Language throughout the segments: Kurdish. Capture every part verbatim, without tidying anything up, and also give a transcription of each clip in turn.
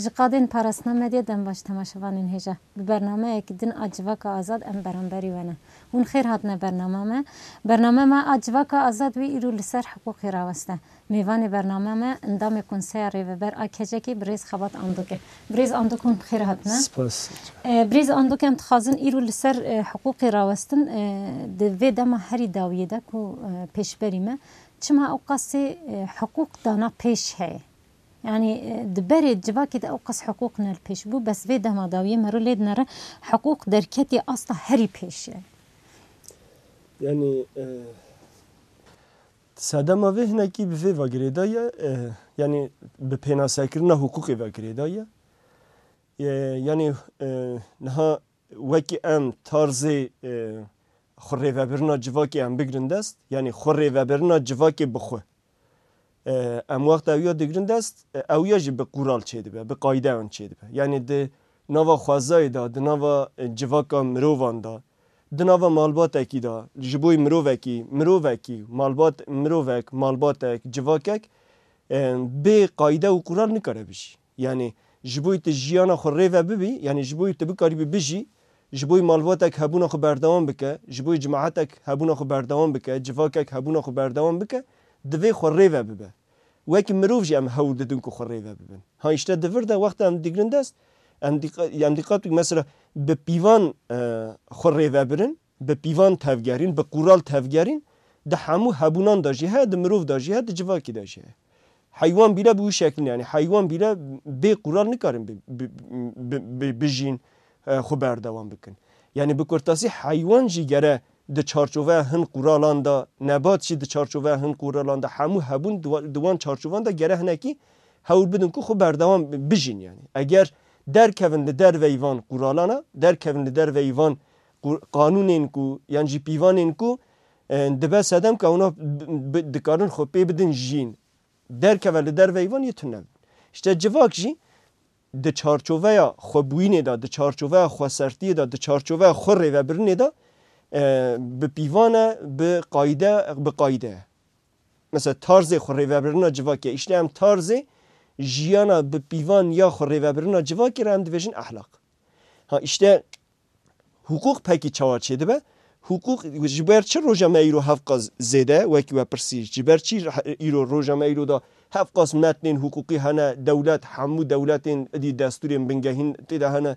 Ji qadên parastina medyê dem baş temaşevanên hêja. Bi bernameyekî din a Civaka Azad em beramberî we ne. Hûn xêr hatine bernama me. Bername me a Civaka Azad wê îro li ser hiqûqê raweste. Mêvanê bername me endamê Konseya Rêveber a KCKê birêz Xebat Andok e. Birêz Andok hûn xêr hatine. Spas. E, birêz Andok em dixwazin îro li ser, e, hiqûqê rawestin, e, di vê dema herî dawiyê de ku, e, pêşberî me. Çima ew qasê, e, hiqûq dana pêş heye? Yanî, e, di berê civakê de ew qas hiqûq ne li pêş bû, bes vê dema dawiyê mero lê dinere hiqûq derketî asta herî pêş e. Yanî, e, sedema vê hinekî bi vê ve girêdaye, e, yanî bi pênasekirina hiqûqê ve girêdaye. E, yanî, e, niha wekî em tarzê, e, xwe rêvebirina civakê em bigrin dest, yanî xwe rêvebirina civakê bi xwe. E, em wexta ew ya digrin dest, e, ew ya jî bi qural çêdibe, bi qaydeyan çêdibe. Yanî di nava xwezayê de, di nava, e, civaka mirovan de, di nava malbatekî de, ji bo mirovekî, mirovekî, malbat, mirovek, malbatek, civakek, e, bê qayde û qural nikare bijî. Yanî ji bo tu jiyana xwe rêve bibî, yanî ji bo tu bikarîbî bijî, ji bo malbatek hebûna xwe berdewam bike, ji bo cemaetek hebûna xwe berdewam bike, civakek hebûna xwe berdewam bike, divê xwe rêve bibe. Wekî mirov jî em hewl didin ku xwe rêve bibin. Ha, îşte di vir de wexta em digrin dest, em dîqa-, em dîqat bikin, mesela bi pîvan, e, xwe rêve birin, bi pîvan tevgerîn, bi qural tevgerîn, di hemû hebûnan de jî heye, di mirov de jî heye, di civakî de jî heye. Heywan bîle bi wî şeklî ne, yanî heywan bîle bê qural nikarin bi-, bi-, bi-, bi-, bijîn, e, xwe berdewam bikin. Yanî bi kurtasî heywan jî gere di çarçoveya hin quralan de, nebat jî di çarçoveya hin quralan de, hemû hebûn di wa-, di wan çarçovan de gere hinekî hewl bidin ku xwe berdewam bi-, bijîn yanî. Eger derkevin li derveyî van quralana, derkevin li derveyî van qu-, qanûnên ku, yan jî pîvanên ku, e, dibe sedem ka hûna bi-, bi-, dikarin xwe pê bidin jiyîn. Derkeve li derveyî van yê tune. Îşte civak jî di çarçoveya xwebûyînê de, di çarçoveya xwesertiyê de, di çarçoveya xwe rêvebirinê de, e, bi pîvan e, bi qayde, bi qayde ye. Mesela tarzê xwe rêvebirina civakê. Îşte em tarzê jiyana bi pîvan ya xwe rêvebirina civakê re em dibêjin ehlaq. Ha, îşte hiqûq pekî çawa çêdibe? Hiqûq ji ber çi roja me îro hevqas zêde, wekî we pirsî, ji ber çi îro roja me îro de hevqas metnên hiqûqî hene, dewlet, hemû dewletên idî destûrên bingehîn tê de hene,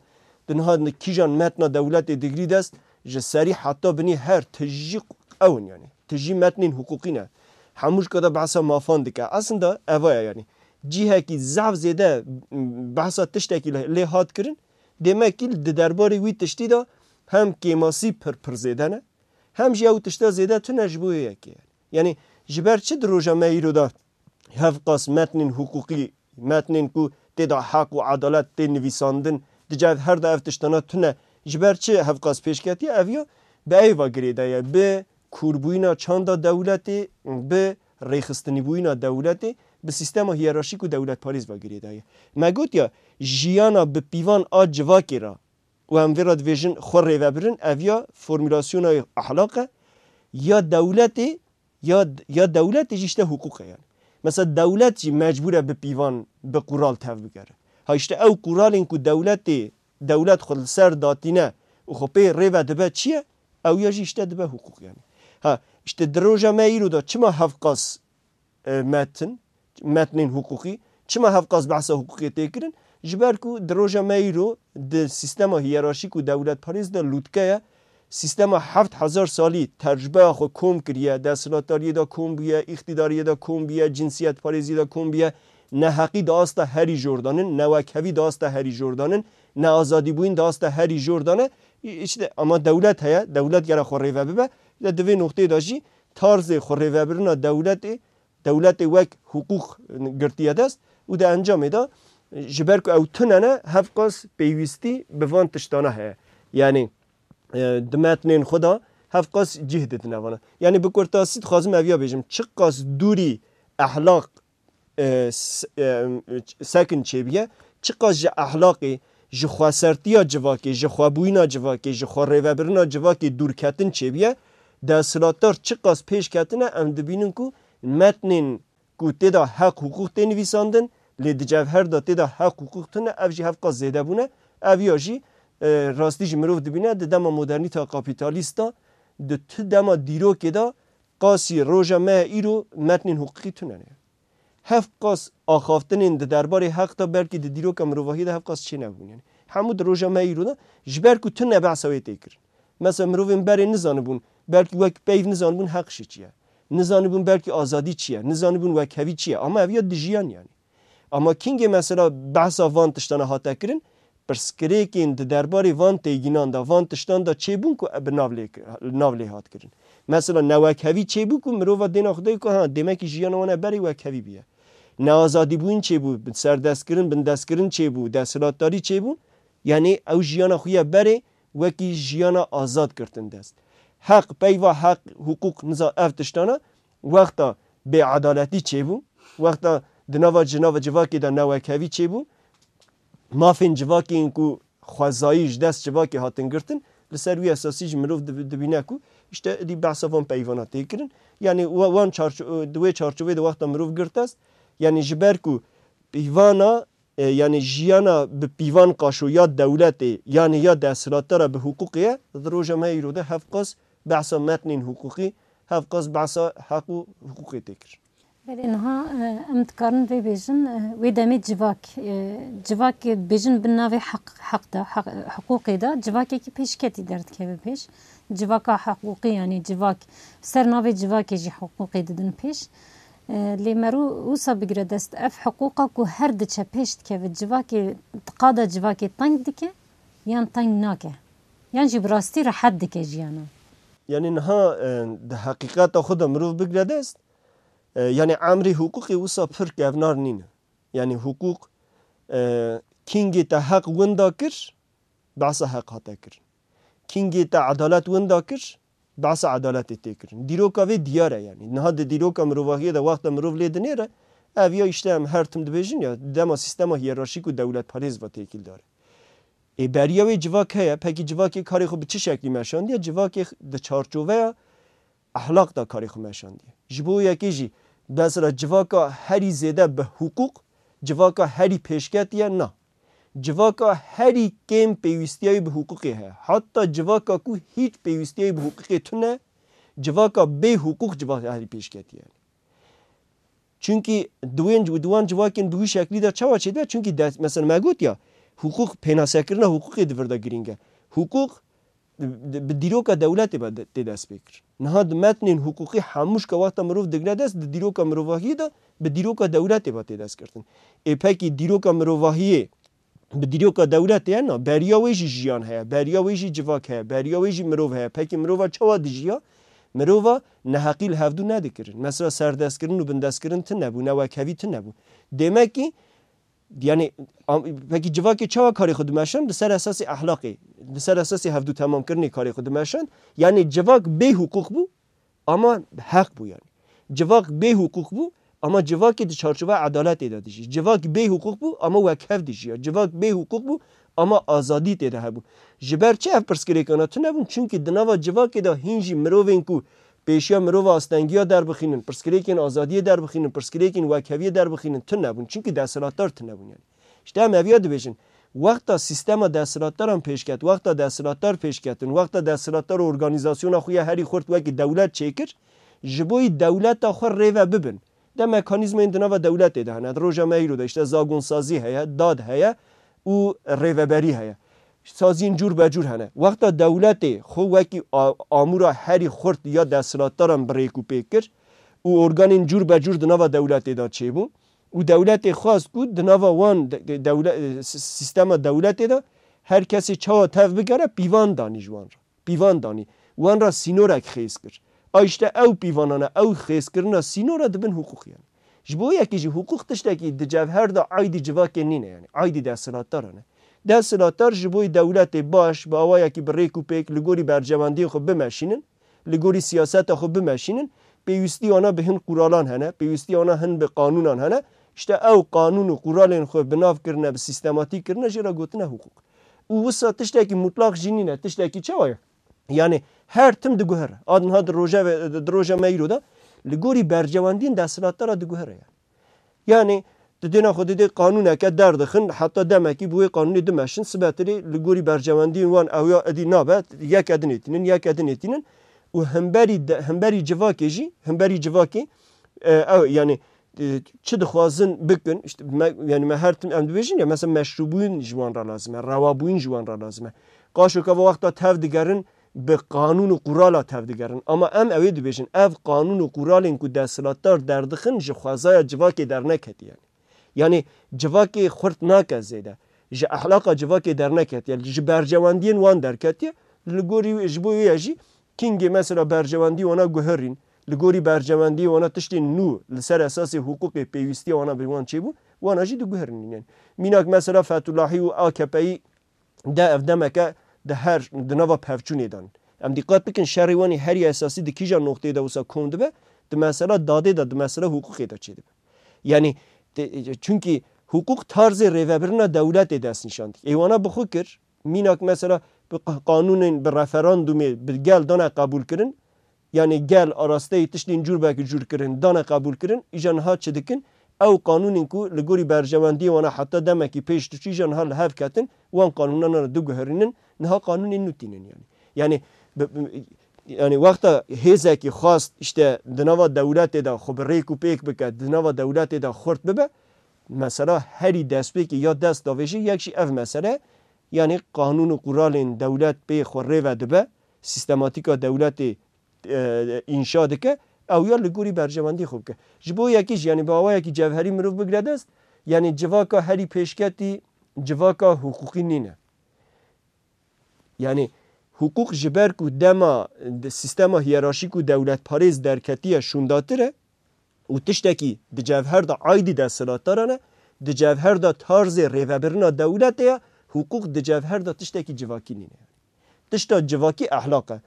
di niha kîjan metna dewletê digirî dest, ji serî heta binî her tijî ew in, yanî tijî metnên hiqûqî ne. Hemû ji qada behsa mafan dike. Aslında eva ye, yanî cihekî zehf zêde behsa tiştekî lê hat kirin, Demekî di derbarê wî tiştî de hem kêmasî pir pir zêde ne, hem jî ew tişta zêde tune ji bo yê yekê ye. Yanî ji ber çi di roja me îro de hevqas metnên hiqûqî, metnên ku tê de heq û edalet tê nivîsandin, di cem her de ev tiştana tune, ji ber çi hevqas pêş ketiye? Ev ya bi êva girêdaye, bi kûrbûyîna çanda dewletê, bi rêxistinîbûyîna dewletê, bi sîstema hiyerarşîk û dewletparêz ve girêdaye. Me gotiya, jiyana bi pîvan a civakê re û em vê re dibêjin xwe rêvebirin, ev ya formulasyona ehlaq e, ya dewletê, ya, ya dewletê jî îşte hiqûq e yani. Mesela dewlet jî mecbûr e bi pîvan, bi qural tevbigere. Ha îşte ew quralên ku dewletê, dewlet xwe li ser datîne û xwe pê rêve dibe çi ye? Ew ya jî îşte dibe hiqûq yani. Ha îşte di roja me îro de çima hevqas e, metin, metnên hiqûqî. Çima hevqas behsa hiqûqê tê kirin? Ji ber ku di roja me îro di sîstema hiyerarşîk û dewletparêz de lûtke ye. Sîstema heft hezar salî tecrûbeya xwe kom kiriye, desthilatdariyê de kom bûye, îqtîdariyê de kom bûye, cinsiyetparêzî de kom bûye, neheqî di asta herî jor de nin, newekhevî di asta herî jor de nin, neazadîbûyîn di asta herî jor de ne. Îşte ama dewlet heye, dewlet gere xwe rêve bibe. Îşte di vê noqteyê de jî tarzê xwe rêvebirina dewletê dewletê wek hiqûq girtiye dest û di encamê de ji ber ku ew tune ne, hevqas pêwîstî bi van tiştana heye. Yanî, e, di metnên xwe de hevqas cih didine vana. Yanî bi kurtasî dixwazim ev ya bêjim, çiqas dûrî ehlaq, e, s-, e, sekin çêbiye, çiqas ji ehlaqê, ji xwesertiya civakê, ji xwebûyîna civakê, ji xwerêvebirina civakê dûrketin çêbiye, desthilatdar çiqas pêş ketine, em dibînin ku metnên ku tê de heq, hiqûq tê nivîsandin, Lê di cevher de tê de heq, hiqûq tune, ev jî hevqas zêde bûne. Ev ya jî, e, rastî jî mirov dibîne di dema modernîteya kapîtalîst de, di tu dema dîrokê de qasî roja me îro metnên hiqûqî tune ne. Hevqas axaftinên di derbarê heq de belkî di dîroka mirovahiyê de hevqas çênebûn. Yani hemû di roja me îro de ji ber ku tune behsa wê tê kirin. Mesela mirovên berê nizanibûn, belkî wek peyv nizanibûn heq jî çi ye. Nizanibûn belkî azadî çi ye, nizanibûn wekhevî çi ye. Ama ev ya dijiyan yani. Ama kingê mesela behsa van tiştana hate kirin, pirsgirêkên di derbarê van têgînan de, van tiştan de çêbûn ku bi nav lê, nav lê hat kirin. Mesela newekhevî çêbû ku mirova dêna xwe dayî ku ha, demekî jiyana wan e berê wekhevî bûye. Neazadîbûyîn çêbû, serdestkirin, bindestkirin çêbû, desthilatdarî çêbû. Yani ew jiyana xwe ye berê wekî jiyana azad girtin dest. Heq, peyva heq, hiqûq, niza ev tiştana wexta bêedaletî çêbû, wexta di nava ji nava civakê de newekhevî çêbû, mafên civakê yên ku xwezayî ji dest civakê hatin girtin, li ser wî esasî jî mirov dibi-, dibîne ku işte êdî behsa van peyvana tê kirin. Yani wa-, wan çarço-, di wê çarçovê de wexta mirov girt dest, yani ji ber ku pîvana, e, yani jiyana bi pîvan qaşo ya dewletê, yani ya desthilatdara bi hiqûqê ye, di roja me îro de hevqas behsa metnên hiqûqî, hevqas behsa heq û hiqûqê tê kirin. Belê niha, e, em dikarin vê bêjin, e, wê demê civak, e, civak bêjin bin navê heq, heq de, heq, hiqûqê de civakekî pêşketî derdikeve pêş. Civaka hiqûqî, yani civak, ser navê civakê jî hiqûqê didin pêş. E, lê merû wisa bigire dest, ev hiqûqa ku her diçe pêş dikeve, civakê, di qada civakê teng dike yan teng nake? Yan jî bi rastî rehet dike jiyana? Yani niha, e, di heqîqeta xwe de mirov bigire dest, e, yani emrê hiqûqê wisa pir kevnar nîne. Yani hiqûq, e, kingê te heq winda kir, behsa heq hate kirin. Kingê te edalet winda kir, behsa edaletê tê kirin. Dîroka vê diyar e yani. Niha di dîroka mirovahiyê de wexta mirov lê dinêre, ev ya işte em her tim dibêjin ya, dema sîstema hiyerarşîk û dewletparêz ve têkildar e. Ê beriya wê civak heye, pekî civakê karê xwe bi çi şeklî meşandiye? Civakê di çarçoveya ehlaq de karê xwe meşandiye. Ji bo yekê jî mesela civaka herî zêde bi hiqûq, civaka herî pêşketî ye, na. Civaka herî kêm pêwîstiya wî bi hiqûqê heye. Heta civaka ku hîç pêwîstiya wî bi hiqûqê tune, civaka bê hiqûq civaka herî pêşketî ye. Çunkî di wên, di wan civakên bi wî şeklî de çawa çêdibe? Çunkî dest, mesela me got ya, hiqûq, pênasekirina hiqûqê di vir de girîng e. Hiqûq di, di, bi dîroka dewletê ve de, tê dest pê kir. Niha di metnên hiqûqî hemû şika wexta mirov digre dest, di dîroka mirovahiyê de bi dîroka dewletê ve tê dest girtin. Ê pekî dîroka mirovahiyê bi dîroka dewletê ye, na, beriya wê jî jiyan heye, beriya wê jî civak heye, beriya wê jî mirov heye. Pekî mirova çawa dijiya? Mirova neheqî li hevdû nedikirin. Mesela serdestkirin û bindestkirin tune bû, newekhevî tune bû. Demekî, yani, am-, pekî civakê çawa karê xwe dimeşand? Li ser esasê ehlaqê, li ser esasê hevdû temamkirinê karê xwe dimeşand. Yani civak bê hiqûq bû, ama heq bû yani. Civak bê hiqûq bû, ama civakê di çarçoveya edaletê de dijî. Civak bê hiqûq bû, ama wekhev dijiya. Civak bê hiqûq bû, ama azadî tê de hebû. Ji ber çi ev pirsgirêkana tune bûn? Çunkî di nava civakê de hîn jî mirovên ku pêşiya mirova astengiya derbixînin, pirsgirêkên azadiyê derbixînin, pirsgirêkên wekheviyê derbixînin tune bûn. Çunkî desthilatdar tune bûn yani. Îşte em eviya dibêjin. Wexta sîstema desthilatdaran pêşket, wexta desthilatdar pêşketin, wexta desthilatdar organîzasyona xwe ya herî xurt wekî dewlet çêkir, ji bo yî dewleta xwe rê ve bibin. De mekanîzmayên di nava dewletê de hene. Di roja me îro de îşte zagonsazî heye, dad heye û rêveberî heye. Saziyên cûr be cûr hene. Wexta dewletê xwe wekî a-, amûra herî xurt ya desthilatdaran bi rêk û pêk kir û organên cûr be cûr di nava dewletê de çêbû, û dewletê xwest ku di nava wan de-, de-, dewle-, e, si-, sîstema dewletê de her kesê çawa tev bigere pîvan danî ji wan re. Pîvan danî. Wan re sînorek xêz kir. A işte ew pîvanane, ew xêzkirina sînora dibin hiqûq yani. Ji bo yekê jî hiqûq tiştekî di cevher de aydî civakê nîne yani. Aydî desthilatdaran e. Desthilatdar ji bo dewletê baş, bi awayekî bi rêk û pêk li gorî berjewendiyên xwe bimeşînin, li gorî siyaseta xwe bimeşînin, pêwîstî wana bi hin quralan hene, pêwîstî wana hin bi qanûnan hene. Îşte ew qanûn û quralên xwe bi nav kirine, bi sîstematîk kirine, jê re gotine hiqûq. Û wisa tiştekî mutlaq jî nîne, tiştekî çawa ye? Yani her tim diguhere. A niha di roja ve, di roja me îro de li gorî berjewendiyên desthilatdara diguhere yani. Yani Di dêna xwe didê qanûneke derdixin, heta demekî bi wê qanûnê dimeşin, sibetirê li gorî berjewendiyên wan ew ya edî nabe, yeke dinêtînin, yeke dinêtînin û hemberî de, hemberî civakê jî, hemberî civakê, e, ew, yani, e, çi dixwazin bikin, işte, me, yani me her tim em dibêjin ya, mesela meşrûbûyîn ji wan re lazim e, rewabûyîn ji wan re lazim e. Qaşo ke wexta tev digerin, bi qanûn û qurala tev digerin. Ama em ew ê dibêjin, ev qanûn û quralên ku desthilatdar derdixin ji xwezaya civakê derneketiye. Yani, yani civakê xurt nake zêde. Ji ehlaqa civakê derneketiye. Ji berjewendiyên wan derketiye. Li gorî wê, ji bo wê ye jî kingê mesela berjewendî wana guherîn, li gorî berjewendiyê wana tiştên nû li ser esasê hiqûqê pêwîstiya wana bi wan çêbû, wana jî diguherînin. Yani, mînak mesela Fetullahî û A K P'yî de ev demeke di her, di nava pevçûnê de ne. Em dîqat bikin, şerê wan ê herî esasî di kîja noqteyê de wisa kom dibe, di mesela dadê de, di mesela hiqûqê de çêdibe. Yani, te-, çunkî hiqûq tarzê rêvebirina dewletê destnîşan dike. Ê wana bi xwe kir, mînak mesela bi qa-, qanûnên, bi referandumê, bi gel dane qebûlkirin, yani gel arasteyî tiştên cûr belkî cûr kirin, dane qebûl kirin, îja niha çi dikin? Ew qanûnên ku li gorî berjewendiyê wana heta demekî pêş diçû, îja niha li hev ketin, wan qanûnan re diguherînin, niha qanûnên nû tînin yani. Yani, bi, bi, yani wexta hêzekî xwast işte di nava dewletê de xwe bi rêk û pêk bike, di nava dewletê de xurt bibe, mesela herî destpêkê ya dest davêjî yek jî ev mesele, yani qanûn û quralên dewlet pê xwe rêve dibe, sîstematîka dewletê e, înşa dike, ew ya li gorî berjewendî xwe bike. Ji bo yekî jî, yani bi awayekî cevherî mirov bigire dest, yani civaka herî pêşketî civaka hiqûqî nîne. Yani hiqûq ji ber ku dema di sîstema hiyerarşîk û dewletparêz derketiye şûndatir e û tiştekî di cevher de aydî desthilatdaran e, di cevher de tarzê rêvebirina dewletê ye, hiqûq di cevher de tiştekî civakî nîne. Tişta civakî ehlaq e.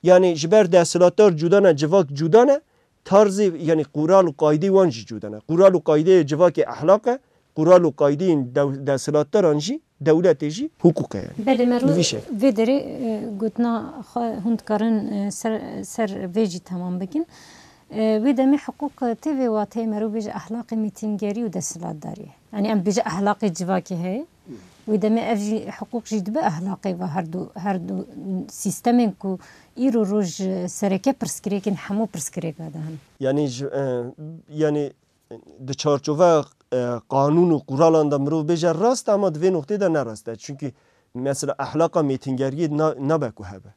Yani ji ber desthilatdar cuda ne, civak cuda ne, tarzê, yani qural û qaydê wan jî cuda ne. Qural û qaydeyê civakê ehlaq e, qural û qaydeyên dew-, desthilatdaran jî, dewletê jî hiqûq e yani. Belê, mero Bi vî şev. Vê derê, e, gotina xwe hûn dikarin, e, ser, ser vê jî temam bikin. E, wê demê hiqûq tê vê wateyê mero bêje ehlaqê mêtingerî û desthilatdariyê. Yani em dibêje ehlaqê civakê heye. Wê demê ev jî hiqûq jî dibe ehlaqê ve her du, her du sîstemên ku îro roj sereke pirsgirêkên hemû pirsgirêka de hene. Yani ji, e, yani di çarçoveya, e, qanûn û quralan de mirov bêje rast e, ama di vê noqtê de ne rast e. Çünkü mesela ehlaqa mêtingeriyê na-, nabe ku hebe.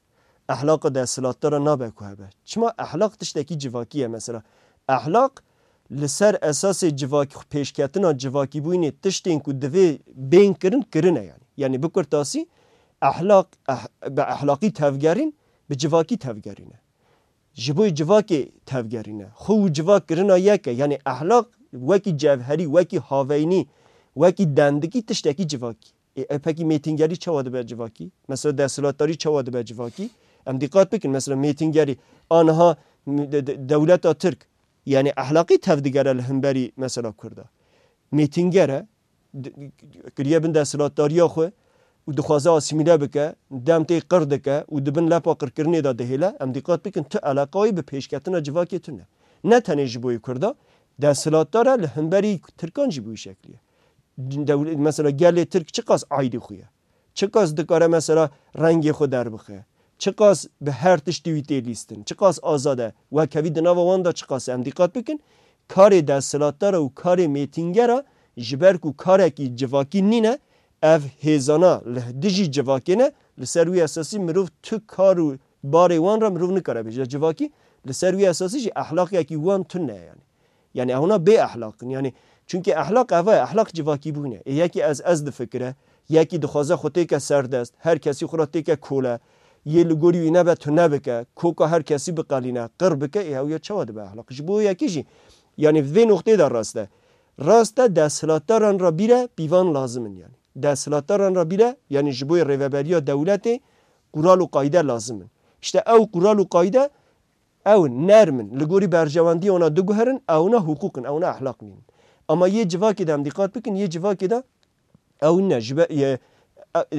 Ehlaqa desthilatdara nabe ku hebe. Çima ehlaq tiştekî civakî ye mesela. Ehlaq li ser esasê civakî, pêşketina civakîbûyînê tiştên ku divê bên kirin, kirine yani. Yani bi kurtasî ehlaq, eh-, bi ehlaqî tevgerîn, bi civakî tevgerîne. Ji bo civakê tevgerîne. Xwe û civak kirina yek e. Yani ehlaq wekî cevherî, wekî haveynî, wekî dendikî tiştekî civakî. Ê, e, pekî mêtingerî çawa dibe civakî? Mesela desthilatdarî çawa dibe civakî? Em dîqat bikin, mesela mêtingerî aniha m-, de-, de-, dewleta Tirk, yani ehlaqî tevdigere li hemberî mesela Kurda. Mêtinger e, d-, kiriye bin desthilatdariya xwe û dixwaze asîmîle bike, dem tê qir dike û di bin lepa qirkirinê de dihêle. Em dîqat bikin, tu eleqa wî bi pêşketina civakê tune. Ne tenê ji bo yê Kurda, desthilatdar e, li hemberî Tirkan jî bi wî şeklî ye. Dewle-, mesela gelê Tirk çiqas aydî xwe ye? Çiqas dikare mesela rengê xwe derbixe? Çiqas bi her tiştî wî tê lîstin? Çiqas azad e? Wekhevî di nava wan de çiqas e? Em dîqat bikin, karê desthilatdara û karê mêtingera ji ber ku karekî civakî nîne, ev hêzana li dijî civakê ne, li ser wî esasî mirov tu kar û barê wan re mirov nikare bêje civakî, li ser wî esasî jî ehlaqekî wan tune ye yani. Yani ew na bê ehlaq in. Yani, çünkü ehlaq ev e, ehlaq civakîbûn e. Ê yekî ez, ez difikire, yekî dixwaze xwe têke serdest, her kesî xwe re têke kole, yê li gorî wî nebe tune bike, koka her kesî biqelîne, qir bike, ê ew ya çawa dibe ehlaq? Ji bo yekî jî, yani vê noqtê de rast e. Rast e, desthilatdaran re bîre pîvan lazim in yani. Desthilatdaran re bîre, yani ji bo rêveberiya dewletê qural û qayde lazim in. İşte ew qural û qayde ew nerm in, li gorî berjewendiyê wana diguherin, ewna hiqûq in, ewna ehlaq nîn. Ama yê civakê de em dîqat bikin, yê civakê de ew ne, ji be-, ye, e, e,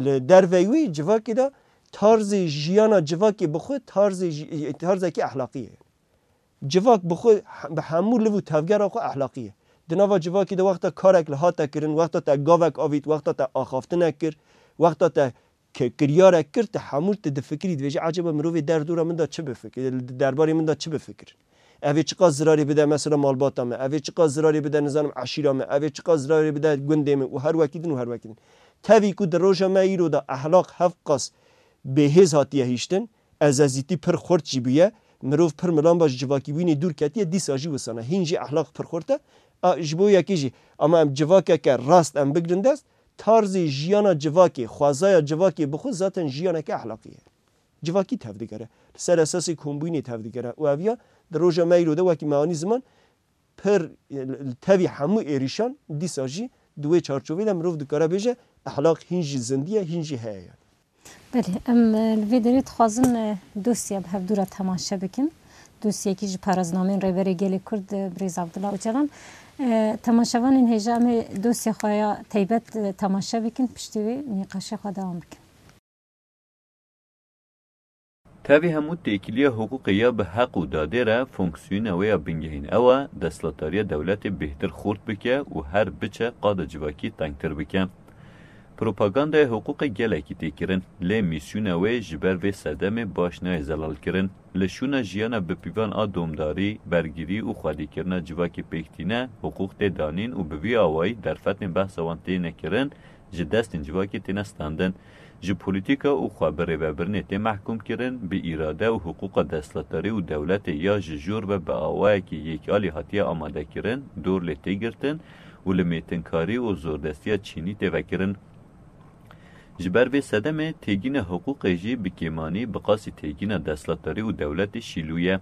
li derveyî wî civakê de tarzê jiyana civakê bi xwe tarzê ji-, tarzekî ehlaqî ye. Civak bi xwe he-, bi hemû liv û tevgera xwe ehlaqî ye. Di nava civakî de wexta karek li hate kirin, wexta te gavek avît, wexta te axaftinek kir, wexta te ke-, kiryarek kir, te hemû tu difikirî, dibêjî, "Eceba mirovê derdora min de çi bifikir, li derbarê min de çi bifikir? Ev ê çiqas zirarê bide mesela malbata me, ev ê çiqas zirarê bide, nizanim, eşîra me, ev ê çiqas zirarê bide gundê min û her wekî din û her wekî din." Tevî ku di roja me îro de ehlaq hevqas bêhêz hatiye hîştin, ezezîtî pir xurt jî bûye, mirov pir milan ba ji civakîbûnê dûr ketiye, dîsa jî wisa ne. Hîn jî ehlaq pir xurt e. A, ji bo yekê jî, ama em civakeke rast em bigrin dest, tarzê jiyana civakê, xwezaya civakê bi xwe zaten jiyaneke ehlaqî ye. Civakî tevdigere. Li ser esasê kombûnê tevdigere. Û ev ya di roja me îro de wekî me anî ziman, pir, li tevî hemû êrîşan dîsa jî di wê çarçovê de mirov dikare bêje, ehlaq hîn jî zindî ye, hîn jî heye yani. Belê, em, e, li vê derê dixwazin, e, dosya bi hevdû re temaşe bikin. Dosyekî ji paraznameyên Rêberê Gelê Kurd, e, Birêz Abdullah Ocalan. E, temaşevanên hêja em ê dosya xwe ya teybet, e, temaşe bikin, piştî wê nîqaşê xwe dewam bikin. Tevî hemû têkiliya hiqûqê ya bi heq û dadê re fonksiyona wê ya bingehîn ew e, desthilatdariya dewletê bêhtir xurt bike û her biçe qada civakî tengtir bike. Propagandaya hiqûqê gelekî tê kirin, lê mîsyona wê ji ber vê sedemê baş nayê zelalkirin. Li şûna jiyana bipîvan a domdarî, bergirî û xwedîkirina civakê pêk tîne, hiqûq tê danîn û bi vî awayî derfetên behsa wan têne kirin, ji destên civakê têne standin. Ji polîtîka û xwe bi rêvebirinê tê mehkûm kirin, bi îrade û hiqûqa desthilatdarî û dewletê ya ji jor ve bi awayekî yekîalî hatiye amadekirin, dor lê tê girtin û li mêtinkarî û zordestiya çînî tê vekirin. Ji ber vê sedemê têgîna hiqûqê jî bi kêmanî bi qasî têgîna desthilatdarî û dewletê şîlû ye.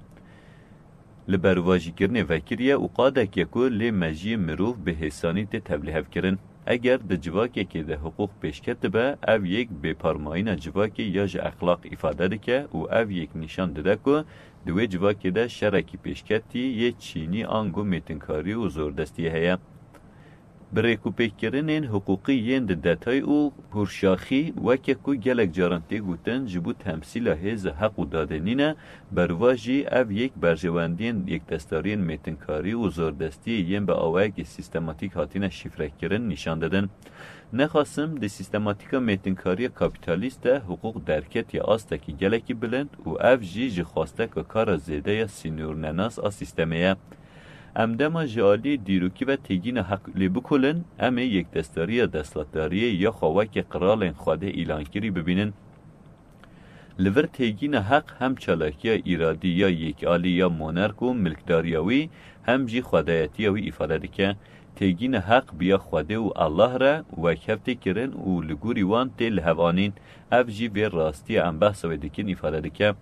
Li berovajîkirinê vekiriye û qadek ye ku lê mejiyê mirov bi hêsanî tê tevlihevkirin. Eger di civakekê de hiqûq pêşketibe, ev yek bêparmayîna civakê ya ji exlaq îfade dike û ev yek nîşan dide ku di wê civakê de şerekî pêşketî yê çînî ango mêtinkarî û zordestiyê heye. Bi rêkûpêkkirinên hiqûqî yên di detay û hûrşaxî, weke ku gelek caran tê gotin, ji bo temsîla hêza heq û dadê nîne, berva jî ev yek berjewendiyên yekdestdariyên mêtinkarî û zordestiyê yên bi awayekî sîstematîk hatine şîfrekirin nîşan didin. Nexasim di sîstematîka mêtinkariya kapîtalîst de hiqûq derketiye astekî gelekî bilind û ev jî ji xwasteka kara zêde ya sînornenas a sîstemê ye. Em dema ji aliyê dîrokî ve têgîna heq lê bikolin, em ê yekdestdariya desthilatdariyê ya xwe weke qiralên Xwedê îlankirî bibînin. Li vir têgîna heq hem çalakiya îradî ya yekalî ya monark û milkdariya wî, hem jî xwedayetiya wî îfade dike. Têgîna heq bi ya Xwedê û Allah re wekhev tê kirin û li gorî wan tê lihevanîn. Ev jî vê rastiya em behsa wê dikin îfade dike.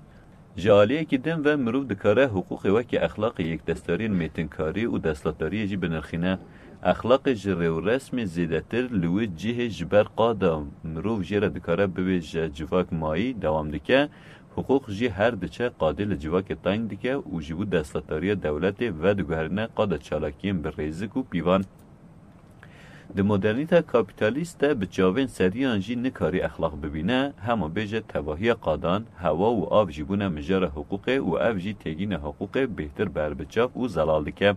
Ji aliyekî din ve mirov dikare hiqûqê weke exlaqê yekdestdariyên mêtinkarî û desthilatdariyê jî binirxîne. Exlaqê ji rêwresmê zêdetir li wê cihê ji ber qada mirov jê re dikare bibêje civak mayî dewam dike, hiqûq jî her diçe qadê li civakê teng dike û ji bo desthilatdariya dewletê vediguherîne qada çalakiyên bi rêzik û pîvan. Di modernîta kapîtalîst de bi çavên seriyan jî nikarî exlaq bibîne, hema bêje tevahiya qadan, hewa û av jî bûne mijara hiqûqê û ev jî têgîna hiqûqê bêhtir berbiçav û zelal dike.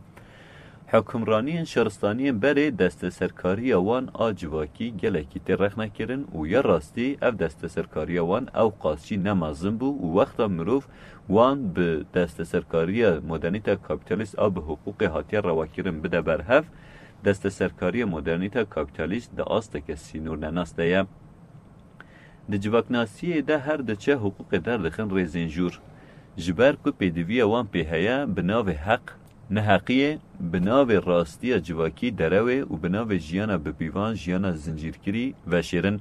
Hukimraniyên şaristaniyên berê desteserkariya wan a civakî gelekî tê rexnekirin û ya rastî ev desteserkariya wan ewqas jî ne mezin bû û wexta mirov wan bi desteserkariya modernîta kapîtalîst a bi hiqûqê hatiye rewakirin bide ber hev, desteserkariya modernîta kapîtalîst di asteke sînornenas de ye. Di civaknasiyê de her diçe hiqûqê derdixin rêzên jûr. Ji ber ku pêdiviya wan pê heye, bi navê heq, neheqiyê, bi navê rastiya civakî derewê û bi navê jiyana bipîvan, jiyana zincîrkirî veşêrin.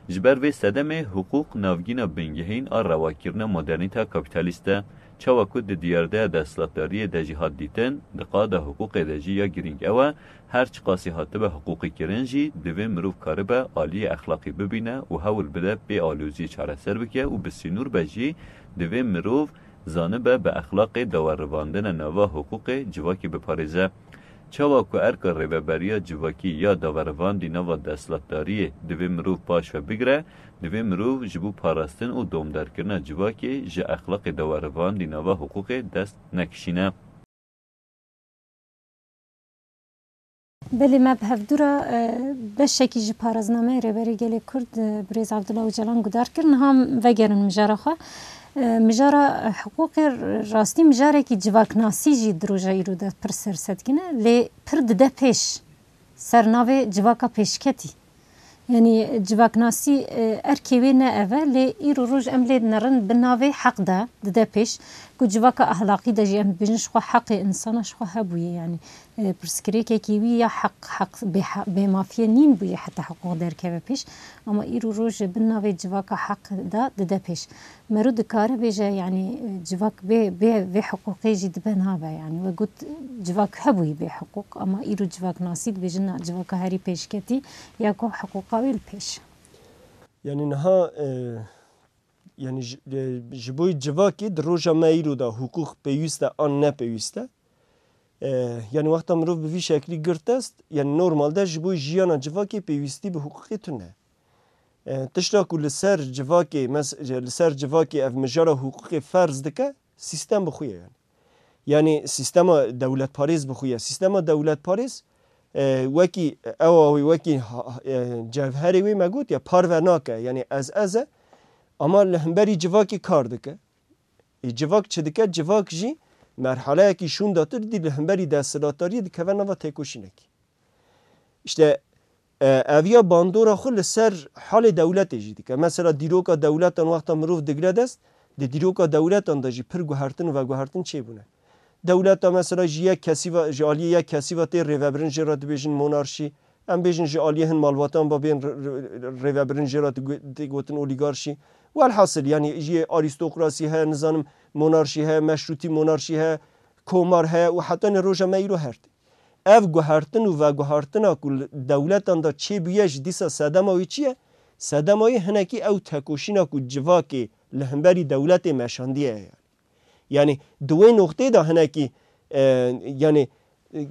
Ji ber vê sedemê hiqûq navgîna bingehîn a rewakirina modernîta kapîtalîst e. Çawa ku di diyardeya desthilatdariyê de jî hat dîtin, di qada hiqûqê de jî ya girîng ew e, her çiqasî hatibe hiqûqî kirin jî, divê mirov karibe aliyê exlaqî bibîne û hewl bide pê aloziyê çareser bike û bi sînor be jî, divê mirov zanibe bi exlaqê dawerivandine nava hiqûqê civakî biparêze. Çawa ku erka rêveberiya civakî ya dawerivandî nava desthilatdariyê divê mirov paş ve bigire, divê mirov ji bo parastin û domdarkirina civakê ji exlaqê dawerivandî nava hiqûqê dest nekişîne. Belê, me bi hevdû re, e, beşekî ji paraznameyê Rêberê Gelê Kurd, e, Birêz Abdullah Ocalan guhdar kir. Niha em vegerin mijara xwe. E, mijara, e, hiqûqê rastî mijarekî civaknasî jî di roja îro de pir sersedgin e, lê pir dide pêş ser navê civaka pêşketî. Yanî civaknasî, e, erkê wê ne ev e, lê îro roj em lê dinerin bi navê heq de dide pêş, ku civaka ahlaqî de jî em dibêjin ji xwe heqê insana ji xwe hebûye, yanî, e, pirsgirêkekî wî ya heq, heq bê he-, bêmafiyê nîn bûye heta hiqûq derkeve pêş, ama îro roj bi navê civaka heq de dide pêş. Mero dikare bêje, yanî, civak bê, bê vê hiqûqê jî dibe nabe, yanî we got civak hebûyî bê hiqûq, ama îro civaknasî dibêjin na, civaka herî pêşketî ya ku hiqûqa wê li pêş. Yanî niha, e, yanî ji, e, ji bo civakê di roja me îro de hiqûq pêwîst e an ne pêwîst e. E, yanî wexta mirov bi vî şeklî girt dest, yanî normalde ji bo jiyana civakê pêwîstî bi hiqûqê tune. E, tişta ku li ser civakê, mes-, li ser civakê ev mijara hiqûqê ferz dike, sîstem bi xwe ye yanî. Yanî sîstema dewletparêz bi xwe ye. Sîstema dewletparêz, e, wekî ewa wî, wekî ha-, e, cevherê wê me got ya, parve nake. Yanî ez ez e, ama li hemberî civakê kar dike. Ê, civak çi dike? Civak jî merhaleyekî şûndatir dî li hemberî desthilatdariyê dikeve nava têkoşînekî. Îşte, e, ev ya bandora xwe li ser halê dewletê jî dike. Mesela dîroka dewletan wexta mirov digre dest, di dîroka dewletan de jî pir guhertin û veguhertin çêbûne. Dewleta mesela ji yek kesî ve, ji aliyê yek kesî ve tê rêvebirin, jê re dibêjin monarşî. Em bêjin ji aliyê hin malbatan ve bên r-, r-, rêvebirin, jê re digo-, tê gotin olîgarşî. Welhasil, yanî jî arîstokrasî heye, nizanim monarşî heye, meşrûtî monarşî heye, komar heye û heta ne roja me îro her tê. Ev guhertin û veguhertina ku li dewletan de çêbûye jî dîsa sedema wî çi ye? Sedema wî hinekî ew tekoşîna ku civakê li hemberî dewletê meşandiye ye. Yanî di wê noqtê de hinekî, e, yanî, e,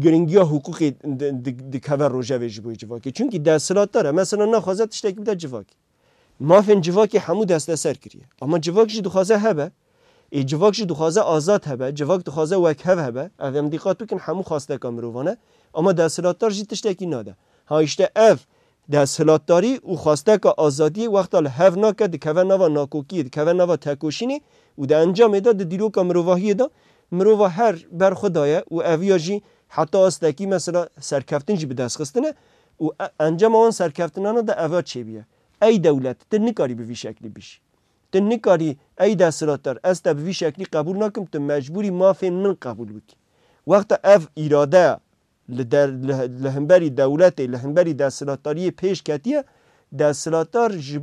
giringiya hiqûqê di, di, dikeve rojevê ji bo civakê. Çunkî desthilatdar e, mesela naxwaze tiştekî bide civakê. Mafên civakê hemû desteser kiriye. Ama civak jî dixwaze hebe. Ê, civak jî dixwaze azad hebe, civak dixwaze wekhev hebe. Ev em dîqat bikin, hemû xwesteka mirovan e. Ama desthilatdar jî tiştekî nade. Ha, îşte ev desthilatdarî û xwesteka azadiyê wexta li hev nake, dikeve nava nakokiyê, dikeve nava tekoşînê û di encamê de di dîroka mirovahiyê de mirova her ber xwe daye û eviya jî heta astekî mesela serkeftin jî bi dest xistine û e-, encama wan serkeftinana de eva çêbûye. Ey dewlet, tu nikarî bi vî şeklî bijî. Tu nikarî, ey desthilatdar, ez te bi vî şeklî qebûl nakim, tu mecbûrî mafên min qebûl bikî. Wexta ev îradeya li der, li, li hemberî dewletê, li hemberî desthilatdariyê pêş ketiye, desthilatdar ji,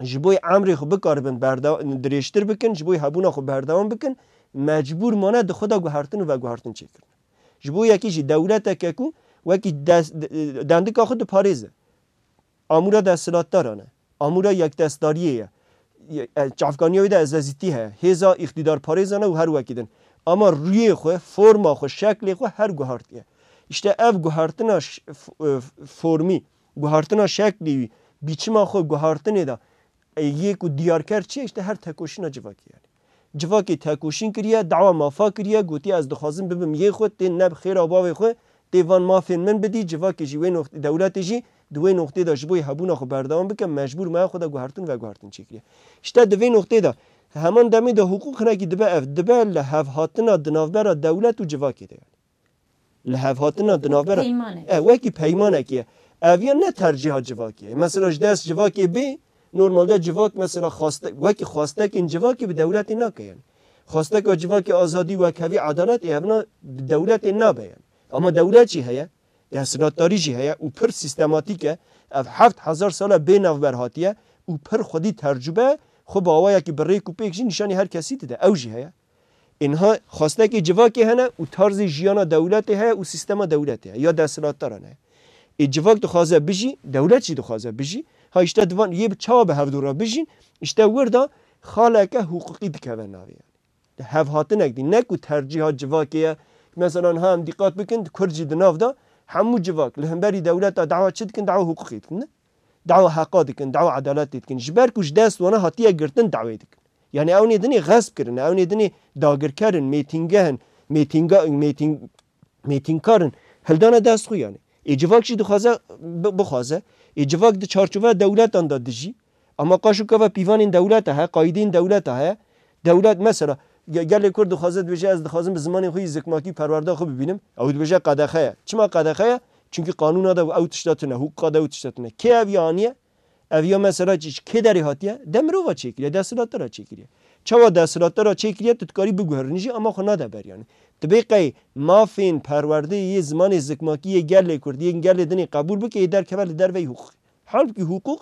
ji bo emrê xwe bikaribin berda-, dirêjtir bikin, ji bo hebûna xwe berdewam bikin, mecbûr mane di xwe de guhertin û veguhertin çêkirin. Ji bo yekî jî dewleteke ku wekî des-, dendika xwe diparêze. Amûra desthilatdaran e. Amûra yekdestdariyê ye. Ye-, e, çavkaniya wê de ezezîtî heye. Hêza îqtîdarparêzan e û her wekî din. Ama rûyê xwe, forma xwe, şeklê xwe her guhartiye. Îşte ev guhartina ş-, f-, e, formî, guhartina şeklî wî, biçima xwe guhartinê de, e, yê ku diyarker çi ye? Îşte her tekoşîna civakê yanî. Civakê tekoşîn kiriye, dawa mafa kiriye, gotiye, ez dixwazim bibim yê xwe, tê ne bi xêra bavê xwe, tê van mafên min bidî, civakê jî wê noqtê, dewletê jî di wê noqtê de ji bo yê hebûna xwe berdewam bike, mecbûr maya xwe de guhertin veguhertin çêkiriye. Îşte di vê noqtê de heman demê de hiqûq hinekî dibe ev, dibe li hevhatina di navbera dewlet û civakê de yanî. Li hevhatina di navbera, peymanek. E, wekî peymanekî ye. Ev ya ne tercîha civakê ye. Mesela ji dest civakê bê, normalde civak mesela xwaste-, wekî xwastekên civakê bi dewletê nake yanî. Xwasteka civakê azadî, wekhevî, edaletê, evna bi dewletê nabe yanî. Ama dewlet jî heye, desthilatdarî jî heye û pir sîstematîk e. Ev heft hezar sal e bê navber hatiye û pir xwedî tercûbe, xwe bi awayekî bi rêk û pêk jî nîşanî her kesî dide. Ew jî heye. Ê niha xwestekê civakê hene û tarzê jiyana dewletê heye û sîstema dewletê heye ya desthilatdaran heye. Ê civak dixwaze bijî, dewlet jî dixwaze bijî. Ha îşte divan yê bi çawa bi hevdû re bijîn, îşte wir de xaleke hiqûqî dikeve navê yanî. Hevhatinek dî, ne ku tercîha civakê ye. Mesela niha em dîqat bikin, di Kurd jî di nav de hemû civak li hemberî dewleta dawa çi dikin? Dawa hiqûqê dikin, ne? Dawa heqa dikin, dawa edaletê dikin. Ji ber ku ji dest wana hatiye girtin dawê dikin. Yanî ew nê dinê xesp kirin, ew nê dinê dagirker in, mêtîngeh in, mêtînga-, mêtîng-, mêtîngkar in. Hildane dest xwe yani. Ê civak jî dixwaze bi-, bixwaze. Ê civak di çarçoveya dewletan de dijî. Ama qaşo kava pîvanên dewleta heye, qaydên dewleta heye. Dewlet mesela ge-, gelê Kurd dixwaze dibêje ez dixwazim bi zimanê xwe yî zikmakî perwerda xwe bibînim. Ew dibêje qedexe ye. Çima qedexe ye? Çünkü qanûna de ew tişta tune, hukûqa de ew tişta tune. Kê ev ya aniye? Ev ya mesela çi, kê derê hatiye? De mirova çêkiriye, desthilatdara çêkiriye. Çawa desthilatdara çêkiriye, tu dikarî biguherînî jî ama xwe nade ber yani. Dibê qey mafên perwerdeyê yê zimanê zikmakî yê gelê Kurd, yên gelê dinê qebûl bike, yê derkeve li derveyî hukûqê. Halbukî hukûq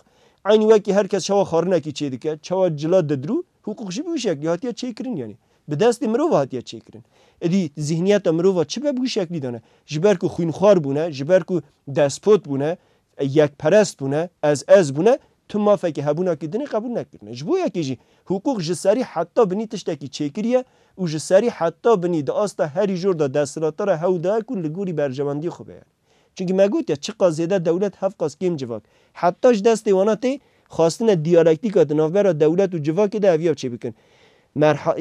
eynî wekî her kes çawa xwarinekî çêdike, çawa cila didirû, hukûq jî bi wî şeklî hatiye çêkirin yani. Bi destê mirova hatiye çêkirin. Êdî zihniyeta mirova çi be bi wî şeklî de ne. Ji ber ku xwînxwar bûne, ji ber ku despot bûne, yekperest bûne, ez ez bûne, tu mafekî hebûnakî dinê qebûl nekirine. Ji bo yekê jî hukûq ji serî heta binî tiştekî çêkiriye û ji serî heta binî di asta herî jor de desthilatdara hewl daye ku li gorî berjewendiyê xwe be yani. Çimkî me gotiye, çiqas zêde dewlet, hevqas kêm civak. Heta ji destê wana tê, xwastine diyalektîka di navbera dewlet û civakê de eviya çêbikin. Merha-,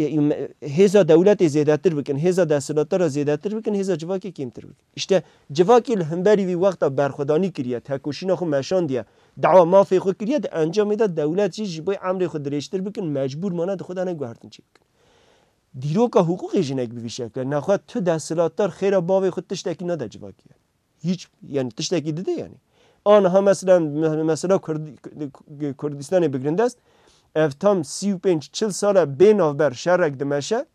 hêza dewletê zêdetir bikin, hêza desthilatdara zêdetir bikin, hêza civakê kêmtir bikin. Îşte civakê li hemberî vî wexta berxwedanî kiriye, tekoşîna xwe meşandiye, dawa mafê xwe kiriye, di encamê de dewlet jî ji bo emrê xwe dirêjtir bikin, mecbûr mane di xwe de ne guhertin çêbikin. Dîroka hukûqê jî nek bi vî şekle. Nexwe tu desthilatdar xêra bavê xwe tiştekî nade civakê. Hiç, yani tiştekî dide yani. Aniha mesela, me-, mesela Kurd-, Kurdistanê bigirin dest, ev tam sî û pênc çil sal e bê navber şerek dimeşe,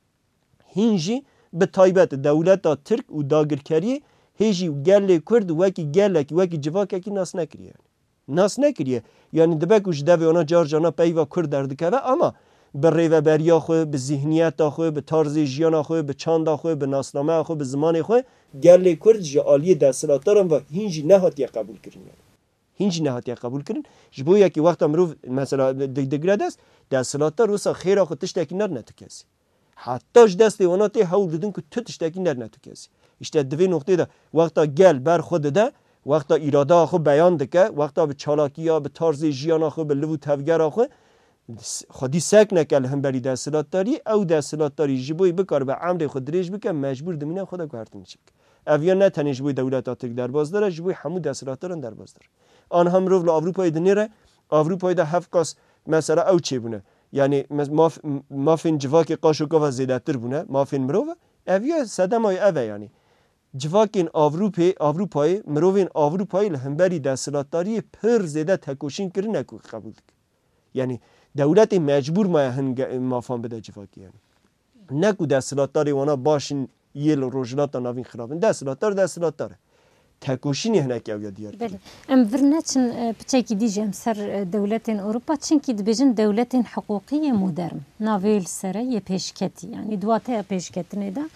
hîn jî bi taybet dewleta Tirk û dagirkeriyê hê jî gelê Kurd wekî gelekî, wekî civakekî nas nekiriye yani. Nas nekiriye. Yani dibe ku ji devê wana car carna peyva Kurd derdikeve ama bi rêveberiya xwe, bi zihniyeta xwe, bi tarzê jiyana xwe, bi çanda xwe, bi nasnameya xwe, bi zimanê xwe gelê Kurd ji aliyê desthilatdaran ve hîn jî nehatiye qebûlkirin yani. Hîn jî nehatiye qebûlkirin. Ji bo yekî wexta mirov mesela di-, digire dest, desthilatdar wisa xêra xwe tiştekî nadine tu kesî. Heta ji destê wana tê hewl didin ku tu tiştekî nedine tu kesî. Îşte di vê noqtê de wexta gel ber xwe dide, wexta îrada xwe beyan dike, wexta bi çalakiya, bi tarzê jiyana xwe, bi liv û tevgera xwe, xwedî sek neke li hemberî desthilatdarî, ew desthilatdarî ji bo bikaribe emrê xwe dirêj bike, mecbûr dimîne xwe de guhertin çêbike. Ev ya ne tenê ji bo dewleta Tirk derbasdar e, ji bo hemû desthilatdaran derbasdar e. Aniha mirov li Ewropayê dinêre, Ewropayê de hevqas mesela ew çêbûne. Yani mes-, maf-, mafên civakê qaşo gava zêdetir bûne, mafên mirov e. Ev ya sedema wê ev e yani. Civakên Ewropê-, Ewropayê, mirovên Ewropayê li hemberî desthilatdariyê pir zêde tekoşîn kirine ku qebûl dike. Yani dewletê mecbûr maye hin ge-, mafan bide civakê yani. Ne ku desthilatdarê wana baş in, yê li Rojhilata Navîn xirab in. Desthilatdar, desthilatdar e. Tekoşînê hinek ew ya diyar kiriye. Belê. Em vir neçin, e, piçekî dî jî em ser, e, dewletên Ewropa, çimkî dibêjin dewletên hiqûqî yê modern. Navê wê li ser e, yê pêşketî. Yanî di wateya pêşketinê de,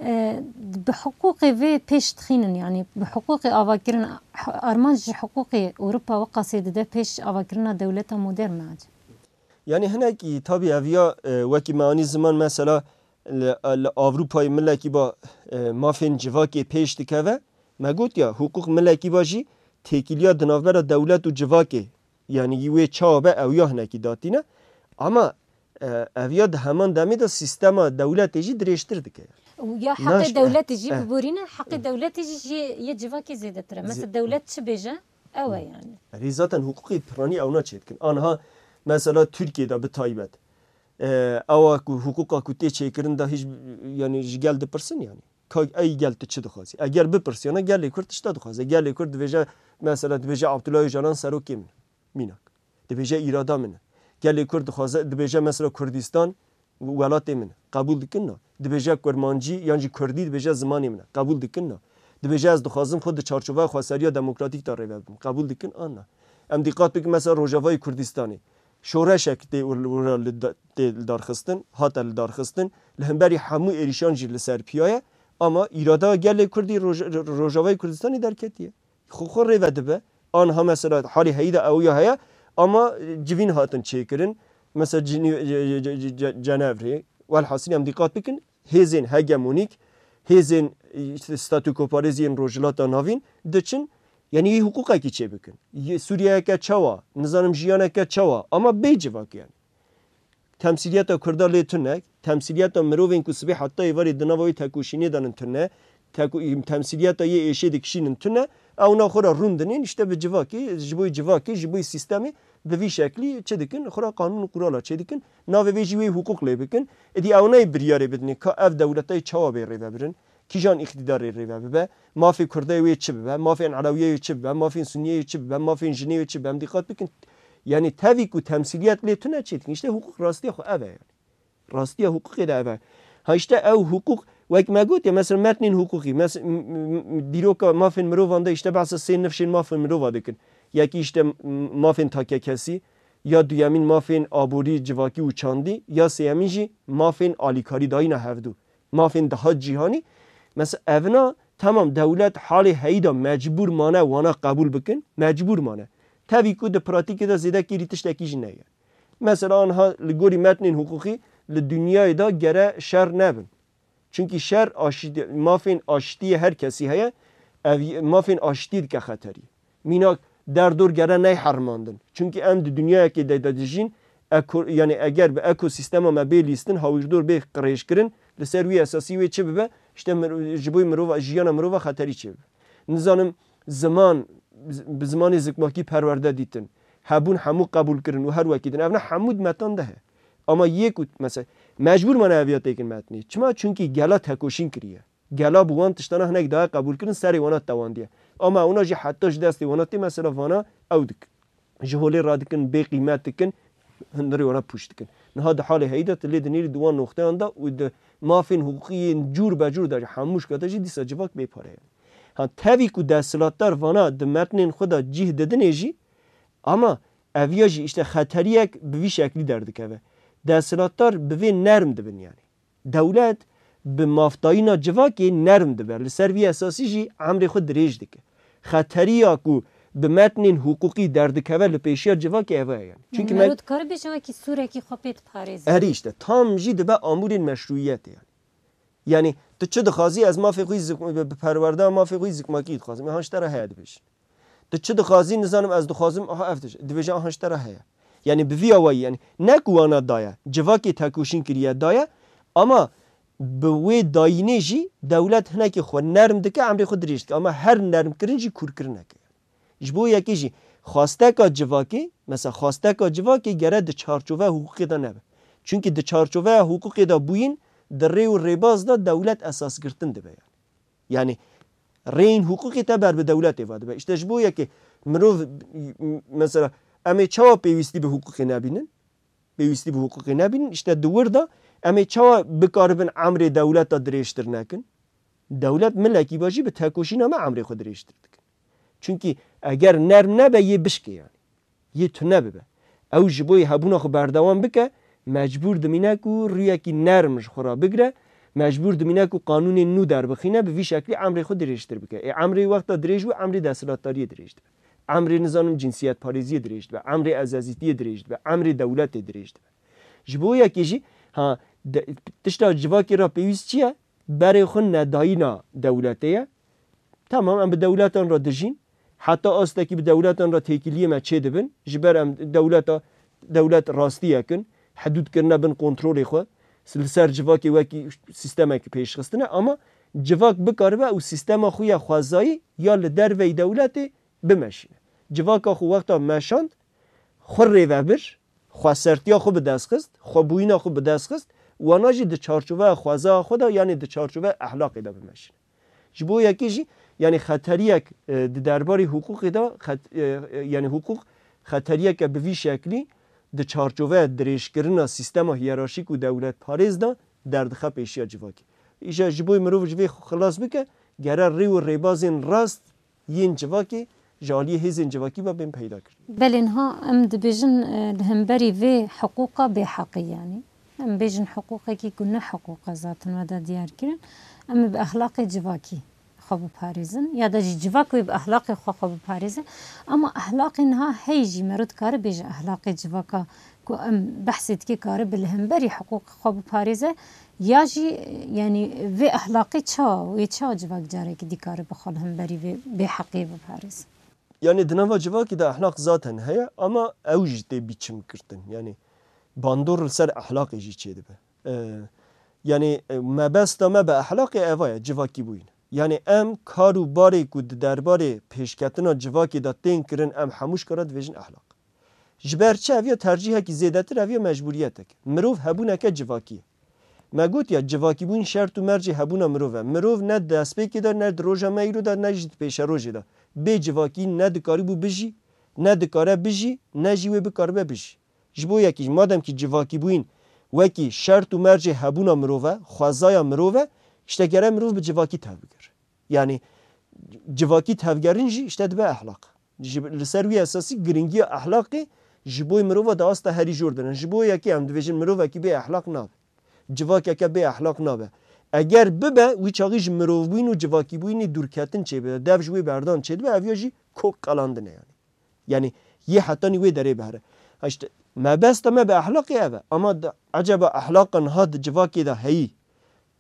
e, bi hiqûqê vê pêş dixînin, yanî bi hiqûqê avakirin, armanc ji hiqûqê Ewropa weqasê dide pêş avakirina dewleta modern me acaba? Yani hinekî tabî ev ya, e, wekî me anî ziman mesela li, li Ewropayê milekî ba, e, mafên civakê pêş dikeve. Me got ya, hiqûq milekî ba jî têkiliya di navbera dewlet û civakê, yani yî wê çawa be ew ya hinekî datîne. Ama, e, ev ya di heman demê de sîstema dewletê jî dirêjtir dike. Û ya heqê Naş-, dewletê jî eh, biborîne, heqê eh. dewletê jî jê yê civakê zêdetir e. Zê- Mesela dewlet çi bêje, ew e yani. Erê zaten hiqûqê piranî ewna çêdikin. Anha mesela Tirkiyê de bi taybet. E, ewa ku hiqûqa ku tê çêkirin de hîç, yani ji gel dipirsin yani. Ka ey gel tu çi dixwazî? Eger bipirsiyana gelê Kurd tişta dixwaze. Gelê Kurd dibêje, mesela dibêje Abdullah Öcalan serokê min. Mînak. Dibêje îrada min e. Gelê Kurd dixwaze, dibêje mesela Kurdistan welatê min e. Qebûl dikin na. Dibêje kurmancî yan jî kurdî dibêje zimanê min e. Qebûl dikin na. Dibêje ez dixwazim xwe di çarçoveya xweseriya demokratîk de rêve bibim. Qebûl dikin an na. Em dîqat bikin mesela Rojavayê Kurdistanê. Şoreşek tê û-, û-, li da-, tê lidarxistin, hate lidarxistin. Li hemberî hemû êrîşan jî li ser piya ye. Ama îrada gelê Kurdî Roj-, Rojavayê Kurdistanê derketiye. Xwe xwe rêve dibe. Anha mesela halê heyî de ew ya heye, ama civîn hatin çêkirin. Mesela Cinî-, Ce-, Ce-, Ce-, Ce-, Cenevrê, welhasil em dîqat bikin, hêzên hegemonîk, hêzên, işte, statûkoparêz yên Rojhilata Navîn diçin, yani yê hiqûqekî çêbikin. Yê Sûriyeyeke çawa, nizanim jiyaneke çawa, ama bê civak yani. Temsîliyeta Kurda lê tune, temsîliyeta mirovên ku sibê heta êvarê di nava wê tekoşînê de nin tune, teku-, temsîliyeta yê êşê dikişînin tune, ewna xwe re rûn dinên, işte bi civakê, ji bo civakê, ji bo sîstemê bi vî şeklî çi dikin, xwe re qanûn û qurala çêdikin. Navê vê jî wê hiqûq lê bikin. Êdî ewnayê biryarê bidinê ka ev dewletayê çawa bê rêvebirin, kîjan îqtîdarê rêve bibe, mafê Kurdayê wê çi bibe, mafên Elewiyê wê çi bibe, mafên Sunniyê wê çi bibe, mafên jinê wê çi bibe, em dîqat bikin. Yanî tevî ku temsîliyet lê tune çêdikin. İşte hukuk rastiya xwe ev e yani. Rastiya hukukê de ev e. Ha işte ew hukuk, wek me gotiye, mesela metnên hukukî, mes-, m-, m-, m-, dîroka mafên mirovan de işte behsa sê nifşên mafên mirova dikin. Yekî işte m-, mafên takekesî, ya duyemîn mafên aborî, civakî û çandî, ya sêyemîn jî mafên alîkarî dayîna hevdû. Mafên daha cîhanî. Mesela evna, tamam, dewlet halê heyî de mecbûr mane wana qebûl bikin, mecbûr mane. Tevî ku di pratîkê de zêde kêrî tiştekî jî neye. Mesela anha li gorî metnên hiqûqî li dinyayê de gere şer nebin. Çunkî şer aşîtî, mafên aşîtiyê her kesî heye, ev mafên aşîtiyê dike xeterî. Mînak derdor gere neyherimandin. Çunkî em di dinyayekê de, de dijîn, eko-, yani eger bi ekosîstema me bê lîstin, hawîrdor bê qirêjkirin, li ser wî esasî wê çi bibe? İşte mir-, ji bo mirova, jiyana mirova xeterî çêbibe. Nizanim ziman, bi zimanê zikmakî perwerde dîtin, hebûn hemû qebûl kirin û her wekî din. Evna hemû di metan de heye. Ama yê ku, mesela, mecbûr mane eviya têkin metnê. Çima? Çunkî gela tekoşîn kiriye. Gela bi wan tiştana hinek daye qebûl kirin, serê wana tewandiye. Ama ewna jî heta ji destê wana tê, mesela vana ew dik-, ji holê radikin, bê qîmet dikin, hundirê wana pûç dikin. Niha di halê heyî de tu lê dinêrî di wan noxteyan de û di mafên hiqûqî yên cûr be cûr de jî hemû şika de jî dîsa civak bê pare ye. Ha, tevî ku desthilatdar vana di metnên xwe de cih didinê jî, ama eviya jî işte xeteriyek bi vî şeklî derdikeve. Desthilatdar bi vê nerm dibin yani. Dewlet bi mafdayîna civakê nerm dibe. Li ser vî esasî jî emrê xwe dirêj dike. Xeteriya ku bi metnên hiqûqî derdikeve li pêşiya civakê eve ye yani. Çunkî me- Mero dikare bêje wekî sûrekî xwe pê diparêze. Erî işte tam jî dibe amûrên meşrûyiyetê yani. Yani tu çi dixwazî, ez mafê xwe zik-, bi perwerdeya mafê xwe zikmakî dixwazim. Ya han ji te re heye dibêjin. Tu çi dixwazî, nizanim ez dixwazim, aha ev dibêje, dibêje aha ji te re heye. Yani bi vî awayî, yani ne ku wana daye, civakê tekoşîn kiriye daye, ama bi wê dayînê jî dewlet hinekî xwe nerm dike, emrê xwe dirêj dike. Ama her nermkirin jî kûrkirinek e. Ji bo yekê jî xwasteka civakê, mesela xwasteka civakê gere di çarçoveya hiqûqê de nebe. Çunkî di çarçoveya hiqûqê de bûyîn, di rê û rêbaz de dewlet esasgirtin dibe yani. Yani rêyên hiqûqê te ber bi dewletê ve dibe. İşte ji bo yekê mirov, mesela em ê çawa pêwîstî bi hiqûqê nebînin? Pêwîstî bi hiqûqê nebînin. İşte di wir de em ê çawa bikaribin emrê dewleta dirêjtir nekin? Dewlet milekî be jî bi tekoşîna me emrê xwe dirêjtir dikin. Çunkî eger nerm nebe yê bişkê yani. Yê tune bibe. Ew ji bo yê hebûna xwe berdewam bike, mecbûr dimîne ku rûyekî nerm ji xwe re bigire, mecbûr dimîne ku qanûnên nû derbixîne, bi vî şeklî emrê xwe dirêjtir bike. Ê emrê wexta dirêj bû, emrê desthilatdariyê dirêj dibe. Emrê, nizanim, cinsiyetparêziyê dirêj dibe, emrê ezezîtiyê dirêj dibe, emrê dewletê dirêj dibe. Ji bo yekê jî, ha, de-, tişta civakê re pêwîst çi ye? Berê xwe nedayîna dewletê ye. Tamam, em bi dewletan re dijîn. Heta astekî bi dewletan re têkiliyê me çêdibin. Ji ber em dewleta, dewlet rastiyek in. Hidûd kirine bin kontrolê xwe. Li ser civakê wekî sîstemekî pêşxistine. Ama civak bikaribe ew sîstema xwe ya xwezayî ya li derveyî dewletê bimeşîne. Civaka xwe wexta meşand, xwe rêve bir, xwesertiya xwe bi dest xist, xwebûyîna xwe bi dest xist, wana jî di çarçoveya xwezaya xwe de, yanî di çarçoveya ehlaqê de bimeşîne. Ji bo yekê jî, yanî xeteriyek, e, di derbarê hiqûqê de, xet-, e, e, yanî hiqûq xeteriyeke bi vî şeklî di çarçoveya dirêjkirina sîstema hiyerarşîk û dewletparêz de derdixe pêşiya civakê. Îja ji bo mirov ji vê xwe xilas bike, gere rê û rêbazên rast yên civakê ji aliyê hêzên civakî ve bên peyda kirin. Belê niha em dibêjin, e, li hemberî vê hiqûqa bêheqî, yanî em bêjin hiqûqekî ku ne hiqûq e zaten we de diyar kirin, em ê bi exlaqê civakî xwe biparêzin ya da jî civak wê bi exlaqê xwe xwe biparêze. Ama exlaqê niha hey jî mero dikare bêje exlaqê civaka ku em behsê dikê karibe li hemberî hiqûqê xwe biparêze, ya jî, yanî vê exlaqê çawa, wê çawa civak carekî dî karibe xwe li hemberî vê bêheqiyê biparêze? Yanî di nava civakî de exlaq zaten heye, ama ew jî tê bîçimkirtin. Yanî bandor li ser exlaqê jî çêdibe. E, yanî, e, mebesta me bi exlaqê eva ye, civakî bûyîn. Yanî em kar û barê ku di derbarê pêşketina civakê de tên kirin, em hemû ji kar re dibêjin ehlaq. Ji ber çi? Ev ya tercîhekî zêdetir, ev ya mecbûriyetek. Mirov hebûneke civakî ye. Me got ya, civakîbûn şert û mercê hebûna mirov e. Mirov ne di destpêkê de, ne di roja me îro de, ne jî di pêşerojê de. Bê civakî ne dikarîbû bijî, ne dikare bijî, ne jî wê bikaribe bijî. Ji bo yekî, madem kî civakîbûyîn wekî şert û mercê hebûna mirov e, xwezaya mirov e, îşte gere mirov bi civakî tevbigir. Yanî civakî tevgerin jî îşte dibe ehlaq. Ji, li ser wî esasî giringiya ehlaqê ji bo mirova di asta herî jor de ne. Ji bo yekî em dibêjin mirovekî bê ehlaq nabe. Civakeke bê ehlaq nabe. Eger bibe, wî çaxî ji mirovbûyîn û civakîbûyînê dûrketin çêbibe, dev ji wê berdan çêdibe, ev ya jî kok qelandin e yanî. Yanî yê hetanî wê derê bihere. Ha, işte, mebesta me bi ehlaqê ev e. Ama di, eceba ehlaqa niha di civakê de heyî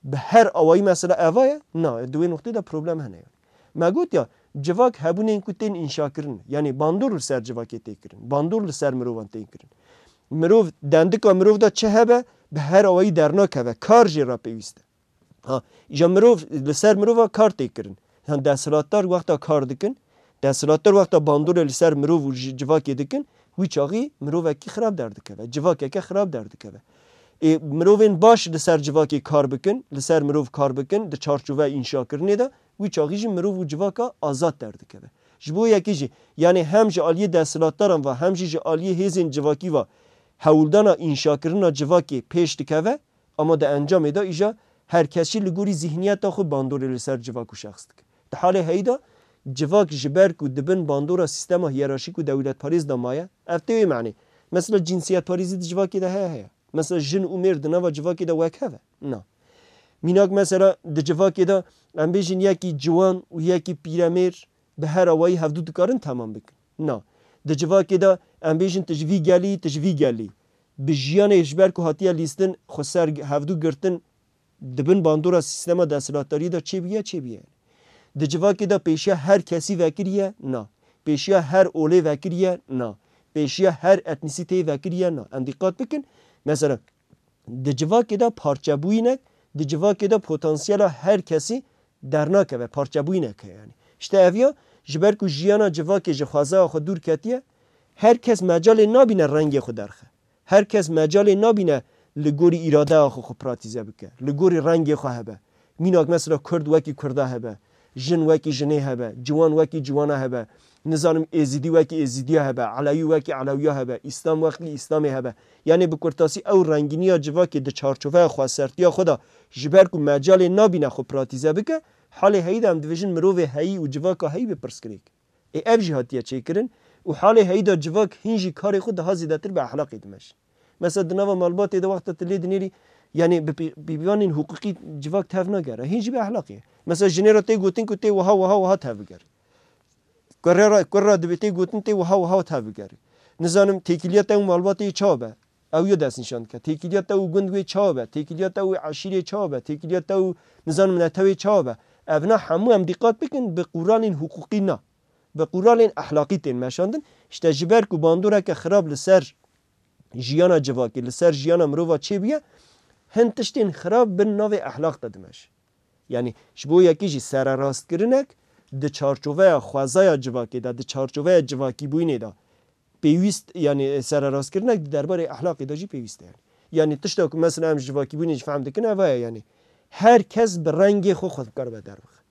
bi her awayî mesela eva ye? Na, di wê noqtê de problem hene yanî. Me got ya, civak hebûnên ku tên înşakirin, yanî bandor li ser civakê tê kirin, bandor li ser mirovan tên kirin. Mirov, dendika mirov de çi hebe, bi her awayî dernakeve, kar jê re pêwîst e. Ha, îja mirov, li ser mirova kar tê kirin. Yan desthilatdar wexta kar dikin, desthilatdar wexta bandorê li ser mirov û ji-, civakê dikin, wî çaxî mirovekî xirab derdikeve, civakeke xirab derdikeve. Ê, mirovên baş li ser civakê kar bikin, li ser mirov kar bikin, di çarçoveya înşakirinê de, wî çaxî jî mirov û civaka azad derdikeve. Ji bo yekê jî, yanî hem ji aliyê desthilatdaran ve, hem jî ji aliyê hêzên civakî ve hewldana înşakirina civakê pêş dikeve, ama di encamê de îja her kes jî li gorî zihniyeta xwe bandorê li ser civak û şexs dike. Di halê heyî de civak ji ber ku di bin bandora sîstema hiyerarşîk û dewletparêz de maye, ev tê wê manê. Mesela cinsiyetparêzî di civakê de heye, heye. Mesela jin û mêr di nava civakê de wek hev e? Na. Mînak mesela di civakê de em bêjin yekî ciwan û yekî pîremêr bi her awayî hevdû dikarin temam bikin? Na. Di civakê de em bêjin tu ji vî gelî, tu ji vî gelî. Bi jiyanê ji ber ku hatiye lîstin, xwe ser hevdû girtin, di bin bandora sîstema desthilatdariyê de çêbûye, çêbûye. Di civakê de pêşiya her kesî vekiriye? Na. Pêşiya her olê vekiriye? Na. Pêşiya her etnîsîteyê vekiriye? Na. Em dîqat bikin. Mesela, di civakê de parçebûyînek, di civakê de potansiyela her kesî dernakeve, parçebûyînek heye yanî. Îşte ev ya, ji ber ku jiyana civakê ji xwezaya xwe dûr ketiye, her kes mecalê nabîne rengê xwe derxe. Her kes mecalê nabîne li gorî îradeya xwe xwe pratîze bike, li gorî rengê xwe hebe. Mînak mesela Kurd wekî Kurda hebe, jin wekî jinê hebe, ciwan wekî ciwana hebe, nizanim Êzidî wekî Êzidiya hebe, Elewî wekî Elewiya hebe, Îslam wekî Îslamê hebe. Yanî bi kurtasî ew rengîniya civakê di çarçoveya xwesertiya xwe de ji ber ku mecalê nabîne xwe pratîze bike, halê heyî de em dibêjin mirovê heyî û civaka heyî bi pirsgirêk. Ê ev jî hatiye çêkirin û halê heyî de civak hîn jî karê xwe daha zêdetir bi ehlaqê dimeşin. Mesela di nava malbatê de wexta tu lê dinêrî, yanî bi pî-, pîvanên hiqûqî civak tev nagere. Hîn jî bi ehlaqê. Mesela jinê re tê gotin ku tê wiha, wiha, wiha tev bigere. Kurê re, kur re dibê tê gotin tê wiha, wiha tev bigere. Nizanim têkiliya te û malbatê çawa be? Ew ya destnîşan dike. Têkiliya te û gund wê çawa be? Têkiliya te û eşîrê çawa be? Têkiliya te û nizanim netewê çawa be? Evna hemû em dîqat bikin bi qûralên hiqûqî na. Bi qûralên ehlaqî tên meşandin. Îşte ji ber ku bandoreke xirab li ser jiyana civakê, li ser jiyana mirova çêbûye, hin tiştên xirab bin navê ehlaq de dimeşe. Yanî ji bo yekê jî sererastkirinek di çarçoveya xwezaya civakê de, di çarçoveya civakîbûyînê de pêwîst, yanî sererastkirinek di derbarê ehlaqê de jî pêwîst e. Yanî, yanî tişta ku mesela em ji civakîbûyînê jî fehm dikin, eva ye, yanî her kes bi rengê xwe xwe dikaribe derbixe.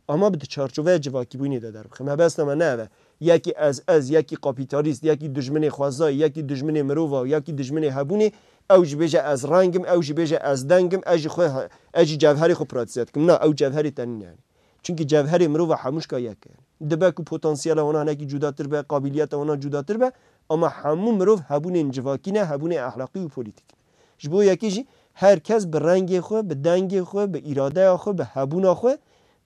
Ama bi di çarçoveya civakîbûyînê de derbixe. Mebesta me ne ev e. Yekî ez, ez, yekî kapîtalîst, yekî dijminê xwezayê, yekî dijminê mirova, yekî dijminê hebûnê, ew jî bêje ez reng im, ew jî bêje ez deng im, ez jî xwe, ez jî cevherê xwe pratîze dikim. Na, ew cevherê te nîne yanî. Çimkî cevherê mirova hemûşka yek e. Dibe ku potansiyela wana hinekî cudatir be, qabiliyeta wana cudatir be, ama hemû mirov hebûnên civakî ne, hebûnê ehlaqî û polîtîk ne. Ji bo yekê jî her kes bi rengê xwe, bi dengê xwe, bi îradeya xwe, bi hebûna xwe,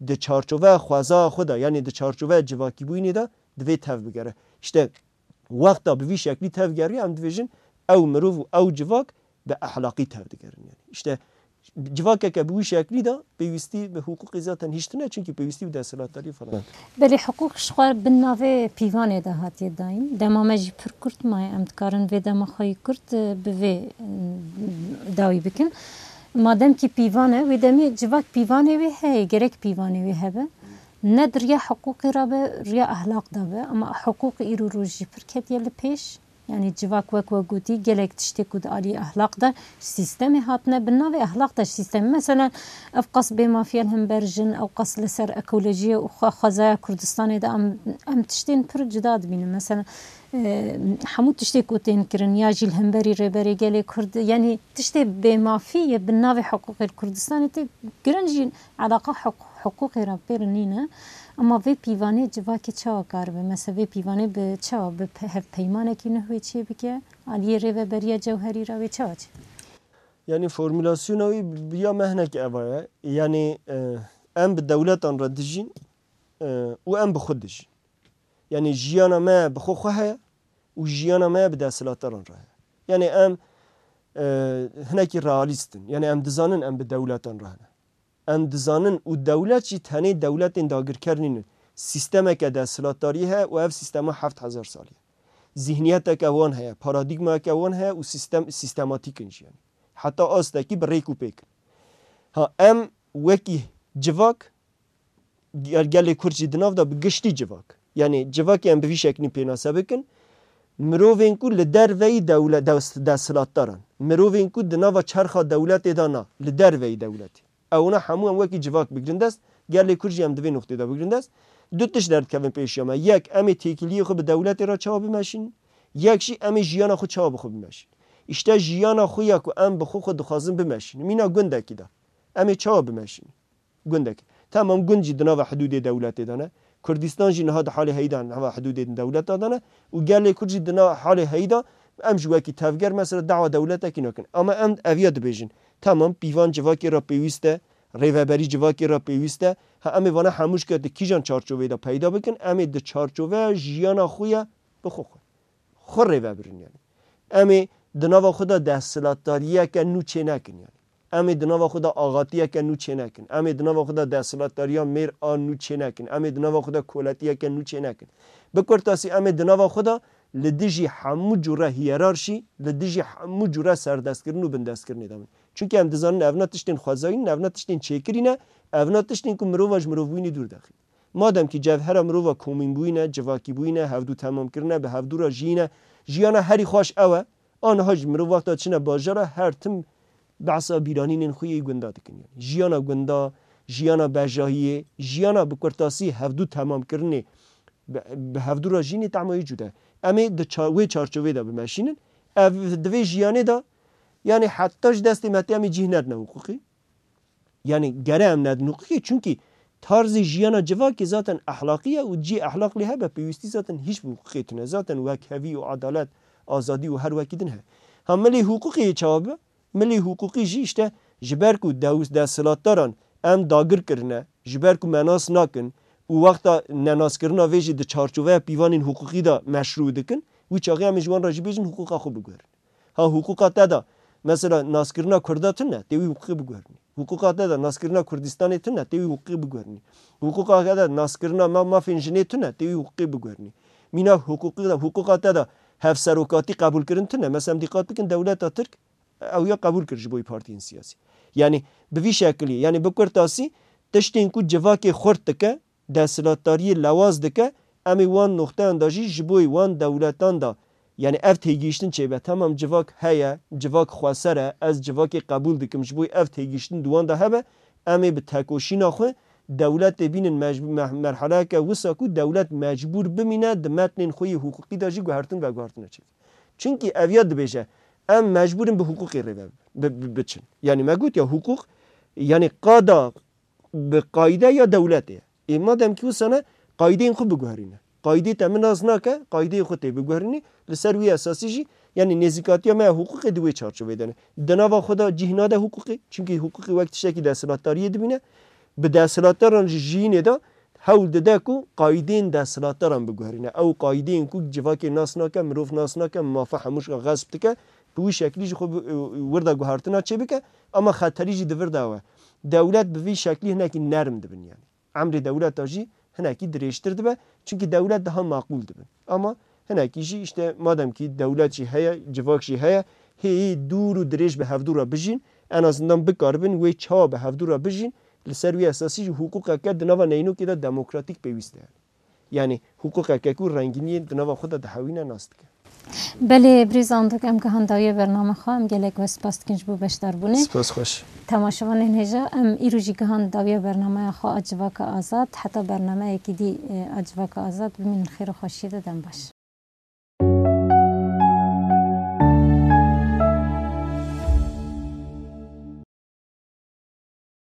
di çarçoveya xwezaya xwe de, yanî di çarçoveya civakîbûyînê de divê tev bigere. Îşte wexta bi vî şeklî tev geriya, em dibêjin ew mirov û ew civak bi ehlaqî tev digerin. Yanî îşte civakeke bi wî şeklî de pêwîstî bi hiqûqê zaten hîç tune, çimkî pêwîstî bi desthilatdarî falan. Belê hiqûq ji xwe bin navê pîvanê de hatiye dayîn. Dema me jî pir kurt maye, em dikarin vê dema xwe yî kurt, e, bi vê, e, dawî bikin. Madem ki pîvan e, wê demê civak pîvanê wê heye, gerek pîvanê wê hebe. Ne di riya hiqûqê re be, riya ehlaq de be. Ama hiqûq îro rojî pir ketiye li pêş. Yani civak wek we gotî, gelek tiştê ku di alî ehlaq de ji sîstemê hatine, bi navê ehlaq de ji sîstemê. Mesela ev qas bêmafiye li hember jin, ew qas li ser ekolojiyê û xwe-, xwezaya Kurdistanê de em, em tiştên pir cuda dibînin. Mesela, e, hemû tiştê ku tên kirin, ya jî li hemberî Rêberê Gelê Kurd, yani tiştê bêmafî yê bi navê hiqûqê li Kurdistanê tê kirin jî, eleqa hiq-, hiqûqê re pê re nîne. Ama vê pîvanê civakê çawa karibe? Mesela vê pîvanê bi çawa, bi pe-, hevpeymanekî nû wê çê bike? Aliyê rêveberiya cewherî re wê çawa çê? Yani formulasyona wî bi ya me hinek eva ye. Yani, e, em bi dewletan re dijîn, e, û em bi xwe dijîn. Yani jiyana me bi xwe xwe heye û jiyana me bi desthilatdaran re heye. Yani em, e, hinekî realîst in. Yani em dizanin em bi dewletan re hene. Em dizanin û dewlet jî tenê dewletên dagirker nînin. Sîstemeke desthilatdarî heye û ev sîstema heft hezar salî ye. Zihniyeteke wan heye, paradîgmayeke wan heye û sîstem, sîstematîk in jî yani. Heta astekî bi rêk û pêk in. Ha, em wekî civak, gel-, gelê Kurd jî di nav de bi giştî civak. Yani civakê em bi vî şeklî pênase bikin. Mirovên ku li derveyî dewle-, des-, desthilatdaran. Mirovên ku di nava çerxa dewletê de na, li derveyî dewletê. Ewna hemû em wekî civak bigrin dest, gelê Kurd jî em di vê noqtê de bigrin dest. Du tişt derdikevin pêşiya me. Yek, em ê têkiliyê xwe bi dewletê re çawa bimeşînin? Yek jî em ê jiyana xwe çawa bi xwe bimeşînin? Îşte jiyana xwe ya ku em bi xwe xwe dixwazin bimeşînin. Mîna gundekî de. Em ê çawa bimeşînin? Gundekî. Tamam, gund jî di nava hidûdê dewletê de ne. Kurdistan jî niha di halê heyî de, niha hidûdên dewleta de ne û gelê Kurd jî di na halê heyî de, em ji wekî tevger mesela dawa dewletekî nakin. Ama em eviya dibêjin. Tamam, pîvan civakê re pêwîst e, rêveberî civakê re pêwîst e. Ha, em ê vana hemû ji ke di kîjan çarçoveyê de peyda bikin, em ê di çarçoveya jiyana xwe ya bi xwe xwe. Xwe rêvebirin yani. Em ê di nava xwe de desthilatdariyeke nû çênekin yani. Em ê di nava xwe de axatiyeke nû çênekin. Em ê di nava xwe de desthilatdariya mêr a nû çênekin. Em ê di nava xwe de koletiyeke nû çênekin. Bi kurtasî em ê di nava xwe de li dijî hemû cûre hiyerarşî, li dijî hemû cûre serdestkirin û bindestkirinê de bin. Çunke em dizanin evna tiştên xwezayî ne, evna tiştên çêkirî ne, evna tiştên ku mirova ji mirovbûyînê dûr dexîn. Madem ki cevhera mirova komînbûyîn e, civakîbûyîn e, hevdû temamkirin e, bi hevdû re jiyîn e, jiyana herî xweş ew e, aniha jî mirov wexta çine bajara her tim behsa bîranînên xwe yê gunda dikin. Yani jiyana gunda, jiyana bejahiyê, jiyana bi kurtasî hevdû temamkirinê, bi, bi hevdû re jiyînê tema wê cuda ye. Em ê di ça-, wê çarçovê de bimeşînin. Ev di vê jiyanê de, yani heta ji destê me tê em ê cih nedine hiqûqî. Yani gere em nedin hiqûqê, çunkî tarzê jiyana civakê zaten ehlaqî ye û cî ehlaq lê hebe pêwîstî zaten hîç bi hiqûqê tune. Zaten wekhevî û edalet, azadî û her wekî din heye. Ha milê hiqûqê yê çawa be? Milê hiqûqî jî işte ji ber ku dew-, desthilatdaran em dagir kirine, ji ber ku me nas nakin û wexta nenaskirina vê jî di çarçoveya pîvanên hiqûqî de meşrû dikin, wî çaxê em ê ji wan re jî bêjin hiqûqa xwe biguherin. Ha, hiqûqa te de, mesela, naskirina Kurda tune, tê wî hiqûqê biguherinî. Hiqûqa te de, naskirina Kurdistanê tune, tê wî hiqûqê biguherinî. Hiqûqa te de, naskirina ma-, mafên jinê tune, tê wî hiqûqê biguherinî. Mîna hiqûqê de, hiqûqa te de, hevserokatî qebûlkirin tune. Mesela, em dîqat bikin, dewleta Tirk, ew ya qebûl kir ji bo partiyên siyasî. Yani, bi vî şekilî, yani, bi kurtasî, tiştên ku civakê xurt dike, desthilatdariyê lewaz dike, em ê wan noxteyan de jî ji bo wan dewletan de, yani ev têgihiştin çêbe. Tamam, civak heye, civak xweser e, ez civakê qebûl dikim, ji bo ev têgihiştin di wan de hebe, em ê bi tekoşîna xwe dewletê bînin mecbû-, meh-, merheleyeke wisa ku dewlet mecbûr bimîne di metnên xwe yê hiqûqî de jî guhertin veguhertine çêbe. Çunkî ev ya dibêje, em mecbûr in bi hiqûqê rê ve bi-, bi-, biçin. Yani me got ya hiqûq, yani qada bi qayde ya dewletê ye. Ê madem ki wisa ne, qaydeyên xwe biguherîne. Qaydê te min nas nake, qaydeyê xwe tê biguherînî. Li ser wî esasî jî, yani nêzîkatiya me ya hiqûqê di wê çarçovê de ne. Di nava xwe de cih nade hiqûqê. Çunkî hiqûqê wek tiştekî desthilatdariyê dibîne. Bi desthilatdaran jî jiyînê de hewl dide ku qaydeyên desthilatdaran biguherîne. Ew qaydeyên ku civakê nas nake, mirov nas nake, mafa hemû şika xesp dike, bi wî şeklî ji xwe bi, wir de guhertina çêbike, ama xeterî jî di vir de ew e. Dewlet bi vî şeklî hinekî nerm dibin yani. Emrê dewleta jî hinekî dirêjtir dibe, çunkî dewlet daha maqûl dibin. Ama hinekî jî işte madem ki dewlet jî heye, civak jî heye, hê dûr û dirêj bi hevdû re bijîn, En azından bikaribin wê çawa bi hevdû re bijîn, li ser wî esasî jî hiqûqeke di nava neyînokê de demokratîk pêwîst e. Yanî hiqûqeke ku rengîniyên di nava xwe de dihewîne nas dike. Belê, birêz Andok, em gihan dawiya bername xwe, em gelek we spas dikin ji bo beşdarbûnê. Spas xweş. Temaşevanên hêja, em îro jî gihan dawiya bernameya xwe a Civaka Azad. Heta bernameyekî dî, e, a Civaka Azad, bimînin xêr û xweşiyê de, dem baş.